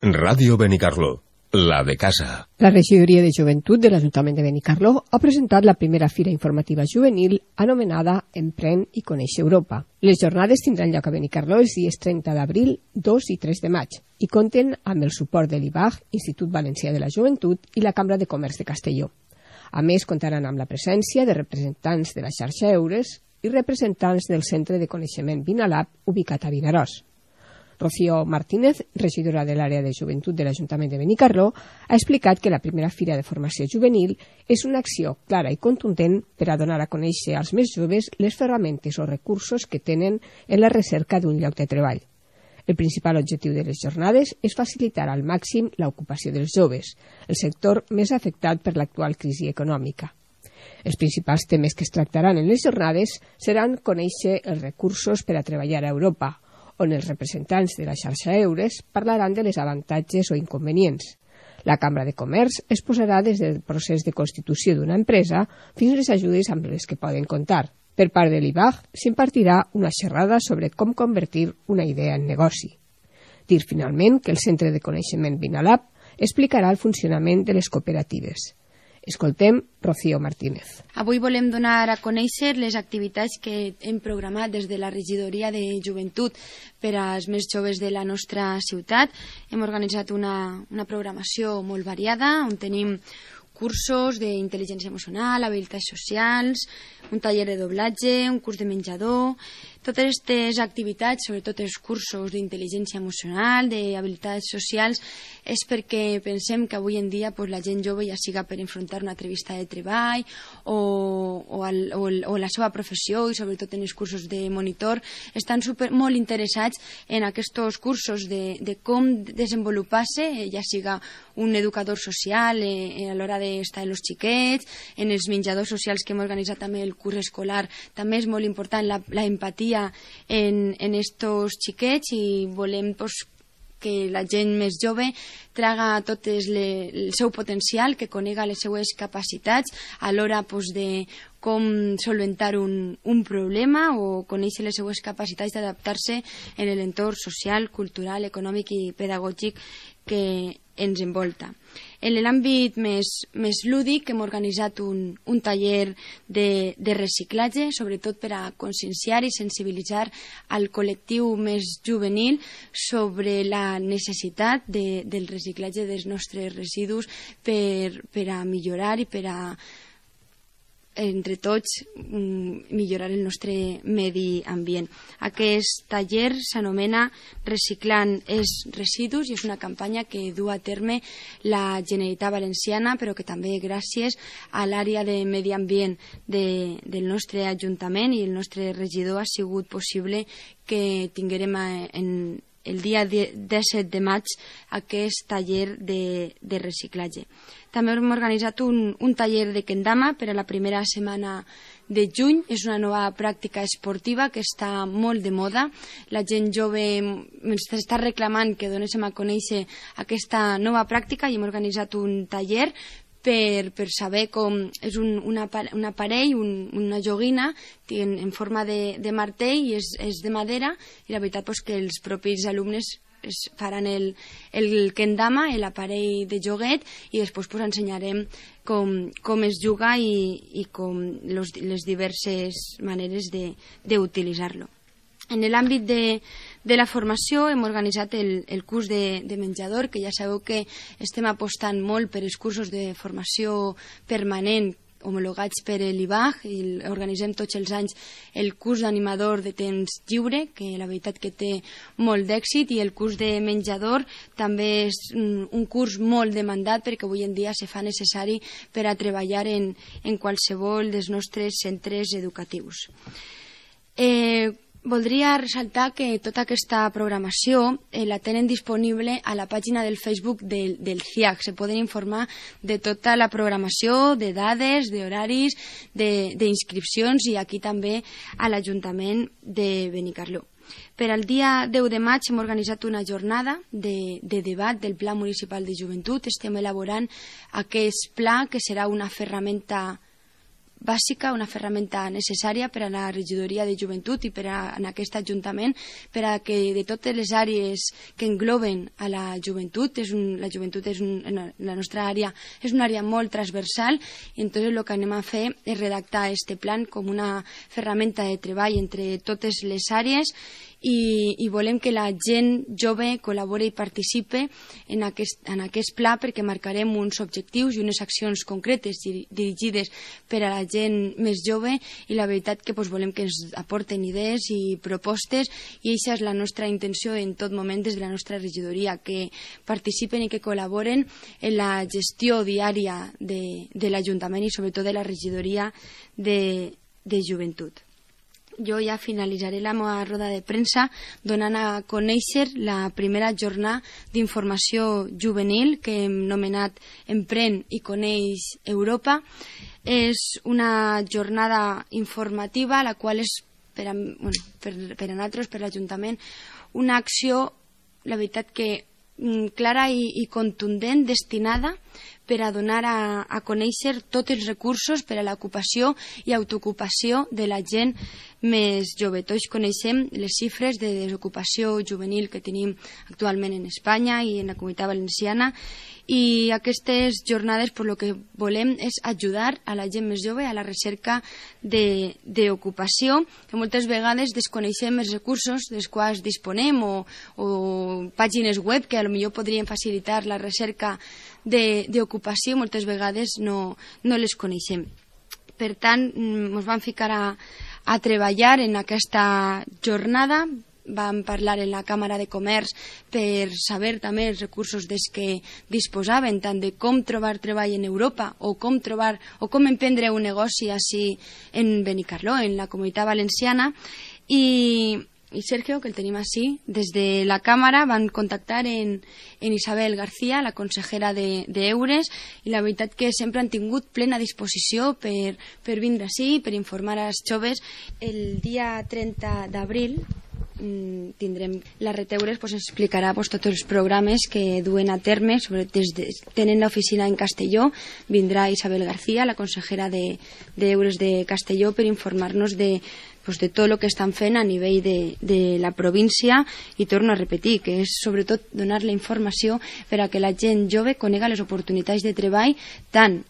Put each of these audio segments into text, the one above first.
Ràdio Benicarló, la de casa. La regidoria de joventut de l'Ajuntament de Benicarló ha presentat la primera fira informativa juvenil anomenada Emprèn i Coneix Europa. Les jornades tindran lloc a Benicarló els dies 30 d'abril, 2 i 3 de maig i compten amb el suport de l'IBAG, Institut Valencià de la Joventut i la Cambra de Comerç de Castelló. A més, comptaran amb la presència de representants de la xarxa Eures i representants del Centre de Coneixement Vinalab ubicat a Vinaròs. Rocío Martínez, regidora de l'àrea de joventut de l'Ajuntament de Benicarló, ha explicat que la primera fira de formació juvenil és una acció clara i contundent per a donar a conèixer als més joves les ferramentes o recursos que tenen en la recerca d'un lloc de treball. El principal objectiu de les jornades és facilitar al màxim l'ocupació dels joves, el sector més afectat per l'actual crisi econòmica. Els principals temes que es tractaran en les jornades seran conèixer els recursos per a treballar a Europa, on els representants de la xarxa Eures parlaran de les avantatges o inconvenients. La Cambra de Comerç exposarà des del procés de constitució d'una empresa fins a les ajudes amb les que poden comptar. Per part de l'IBAG s'impartirà una xerrada sobre com convertir una idea en negoci. Dir finalment que el Centre de Coneixement Vinalab explicarà el funcionament de les cooperatives. Escoltem Rocío Martínez. Avui volem donar a conèixer les activitats que hem programat des de la regidoria de joventut per als més joves de la nostra ciutat. Hem organitzat una programació molt variada on tenim cursos d'intel·ligència emocional, habilitats socials, un taller de doblatge, un curs de menjador. Totes aquestes activitats, sobretot els cursos d'intel·ligència emocional, d'habilitats socials, és perquè pensem que avui en dia la gent jove, ja siga per enfrontar una entrevista de treball o la seva professió, i sobretot en els cursos de monitor, estan molt interessats en aquests cursos de com desenvolupar-se, ja siga un educador social a l'hora d'estar amb els xiquets, en els menjadors socials que hem organitzat també el curs escolar. També és molt important la empatia en estos xiquets, i volem que la gent més jove traga tot el seu potencial, que conega les seues capacitats a l'hora de com solventar un problema o conèixer les seues capacitats d'adaptar-se en l'entorn social, cultural, econòmic i pedagògic que ens envolta. En l'àmbit més lúdic hem organitzat un taller de reciclatge, sobretot per a conscienciar i sensibilitzar al col·lectiu més juvenil sobre la necessitat del reciclatge dels nostres residus per a millorar i per a entre tots millorar el nostre medi ambient. Aquest taller s'anomena Reciclant els residus i és una campanya que du a terme la Generalitat Valenciana, però que també gràcies a l'àrea de medi ambient del nostre Ajuntament i el nostre regidor ha sigut possible que tinguérem el dia 17 de maig aquest taller de reciclatge. També hem organitzat un taller de kendama per a la primera setmana de juny. És una nova pràctica esportiva que està molt de moda. La gent jove ens està reclamant que donéssim a conèixer aquesta nova pràctica i hem organitzat un taller per saber com és un aparell, una joguina en forma de martell i és de madera, i la veritat que els propis alumnes faran el kendama, l'aparell de joguet, i després ensenyarem com es juga i com les diverses maneres d'utilitzar-lo. En l'àmbit de la formació hem organitzat el curs de menjador, que ja sabeu que estem apostant molt per els cursos de formació permanent homologats per l'IBAG, i organitzem tots els anys el curs d'animador de temps lliure, que la veritat que té molt d'èxit, i el curs de menjador també és un curs molt demandat perquè avui en dia se fa necessari per a treballar en qualsevol dels nostres centres educatius. Voldria ressaltar que tota aquesta programació la tenen disponible a la pàgina del Facebook del CIAC. Se poden informar de tota la programació, de dades, d'horaris, d'inscripcions, i aquí també a l'Ajuntament de Benicarló. Per al dia 10 de maig hem organitzat una jornada de debat del Pla Municipal de Joventut. Estem elaborant aquest pla, que serà una ferramenta bàsica, una ferramenta necessària per a la regidoria de joventut i per a en aquest ajuntament, per a que de totes les àrees que engloben a la joventut, la joventut és la nostra àrea és una àrea molt transversal, i entonces el que anem a fer és redactar este plan com una ferramenta de treball entre totes les àrees, i volem que la gent jove col·labori i participe en aquest pla, perquè marcarem uns objectius i unes accions concretes dirigides per a la gent més jove, i la veritat que volem que ens aporten idees i propostes, i aquesta és la nostra intenció en tot moment des de la nostra regidoria, que participen i que col·laboren en la gestió diària de l'Ajuntament i sobretot de la regidoria de joventut. Jo ja finalitzaré la meva roda de premsa donant a conèixer la primera jornada d'informació juvenil que hem nomenat Emprèn i coneix Europa. És una jornada informativa, la qual és per a nosaltres, per l'Ajuntament, una acció, la veritat que clara i contundent, destinada per a donar a conèixer tots els recursos per a l'ocupació i autoocupació de la gent més jove. Tots coneixem les xifres de desocupació juvenil que tenim actualment en Espanya i en la Comunitat Valenciana, i aquestes jornades el que volem és ajudar a la gent més jove a la recerca d'ocupació, que moltes vegades desconeixem els recursos dels quals disponem o pàgines web que potser podrien facilitar la recerca d'ocupació, moltes vegades no les coneixem. Per tant, ens vam ficar a treballar en aquesta jornada. Vam parlar en la Càmera de Comerç per saber també els recursos dels que disposaven, tant de com trobar treball en Europa o com emprendre un negoci així en Benicarló, en la Comunitat Valenciana. I Sergio, que el tenim així, des de la Càmera van contactar en Isabel García, la consellera d'Eures, i la veritat que sempre han tingut plena disposició per vindre així, per informar als joves. El dia 30 d'abril tindrem la Reteures, ens explicarà tots els programes que duen a terme, tenen l'oficina en Castelló. Vindrà Isabel García, la consellera d'Eures de Castelló, per informar-nos de tot el que estan fent a nivell de la província, i torno a repetir que és sobretot donar la informació per a que la gent jove conega les oportunitats de treball, tant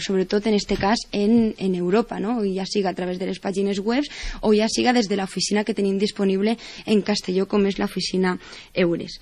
sobretot en este cas en Europa, no? Ja siga a través de les pàgines web o ja siga des de l'oficina que tenim disponible en Castelló, com és l'oficina Eures.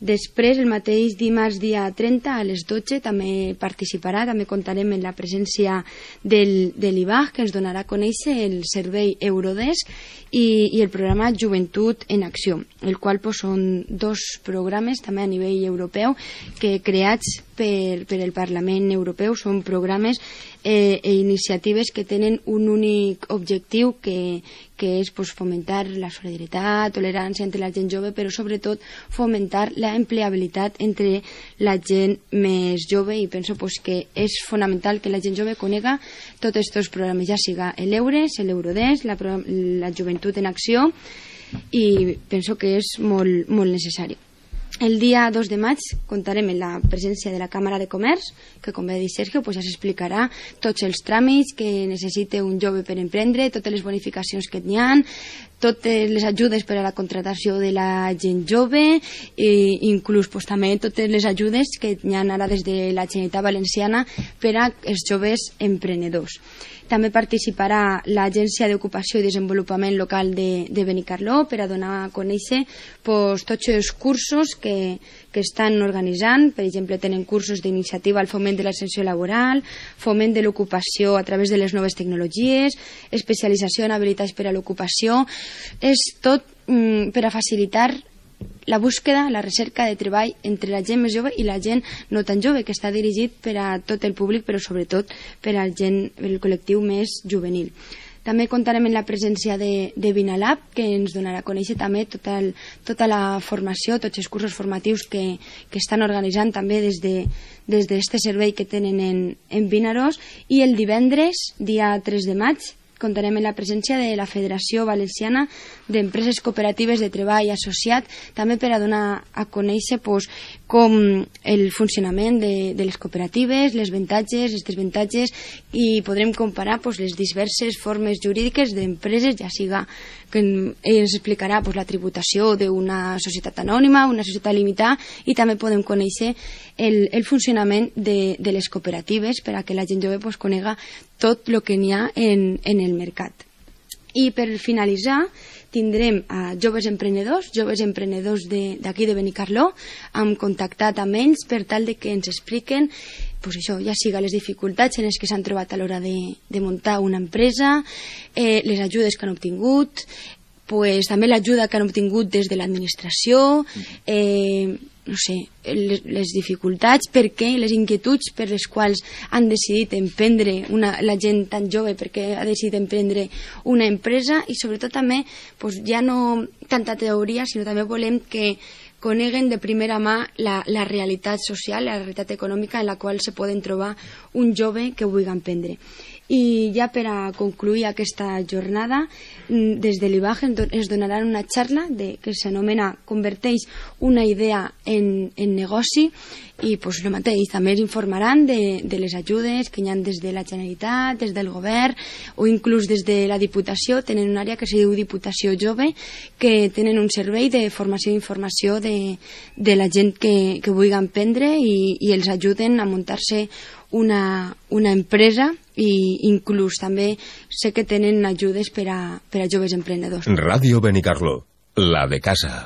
Després, el mateix dimarts dia 30 a les 12 també participarà, també comptarem amb la presència de l'IBAG, que ens donarà a conèixer el servei Eurodesk i el programa Joventut en Acció, el qual són dos programes també a nivell europeu que creats per el Parlament Europeu. Són programes i iniciatives que tenen un únic objectiu, que és fomentar la solidaritat, tolerància entre la gent jove, però sobretot fomentar la empleabilitat entre la gent més jove, i penso que és fonamental que la gent jove conega tots aquests programes, ja siga l'Eures, l'Eurodesk, la Joventut en Acció, i penso que és molt, molt necessari. El dia 2 de maig comptarem amb la presència de la Càmera de Comerç, que, com va dir Sergio, ja s'explicarà tots els tràmits que necessita un jove per emprendre, totes les bonificacions que n'hi ha, totes les ajudes per a la contratació de la gent jove, i inclús també totes les ajudes que n'hi ha ara des de la Generalitat Valenciana per als joves emprenedors. També participarà l'Agència d'Ocupació i Desenvolupament Local de Benicarló per a donar a conèixer tots els cursos que estan organitzant. Per exemple, tenen cursos d'iniciativa al foment de l'ascensió laboral, foment de l'ocupació a través de les noves tecnologies, especialització en habilitats per a l'ocupació. És tot per a facilitar la búsqueda, la recerca de treball entre la gent més jove i la gent no tan jove, que està dirigit per a tot el públic, però sobretot per al col·lectiu més juvenil. També comptarem amb la presència de Vinalab, que ens donarà a conèixer també tota la formació, tots els cursos formatius que estan organitzant també des d'aquest servei que tenen en Vinaròs. I el divendres, dia 3 de maig, comptarem amb la presència de la Federació Valenciana d'Empreses Cooperatives de Treball Associat, també per a donar a conèixer com el funcionament de les cooperatives, les avantatges, els desavantatges, i podrem comparar les diverses formes jurídiques d'empreses, ja siga que ens explicarà la tributació d'una societat anònima, una societat limitada, i també podem conèixer el funcionament de les cooperatives per a que la gent jove conega tot el que n'hi ha en el mercat. I per finalitzar tindrem a joves emprenedors d'aquí de Benicarló. Hem contactat amb ells per tal de que ens expliquen això, ja siga les dificultats en les que s'han trobat a l'hora de muntar una empresa, les ajudes que han obtingut, també l'ajuda que han obtingut des de l'administració, no sé, les dificultats, per què, les inquietuds per les quals han decidit emprendre, la gent tan jove, perquè ha decidit emprendre una empresa, i sobretot també ja no tanta teoria, sinó també volem que coneguen de primera mà la realitat social, la realitat econòmica en la qual se poden trobar un jove que vulgui emprendre. I ja per a concluir aquesta jornada, des de l'IBAG ens donaran una xarra que s'anomena Converteix una idea en negoci, i el mateix, també ens informaran de les ajudes que hi ha des de la Generalitat, des del govern, o inclús des de la Diputació. Tenen una àrea que se diu Diputació Jove, que tenen un servei de formació i informació de la gent que vulgui emprendre, i els ajuden a muntar-se una empresa, i inclús també sé que tenen ajudes per a joves emprenedors. Ràdio Benicarló, la de casa.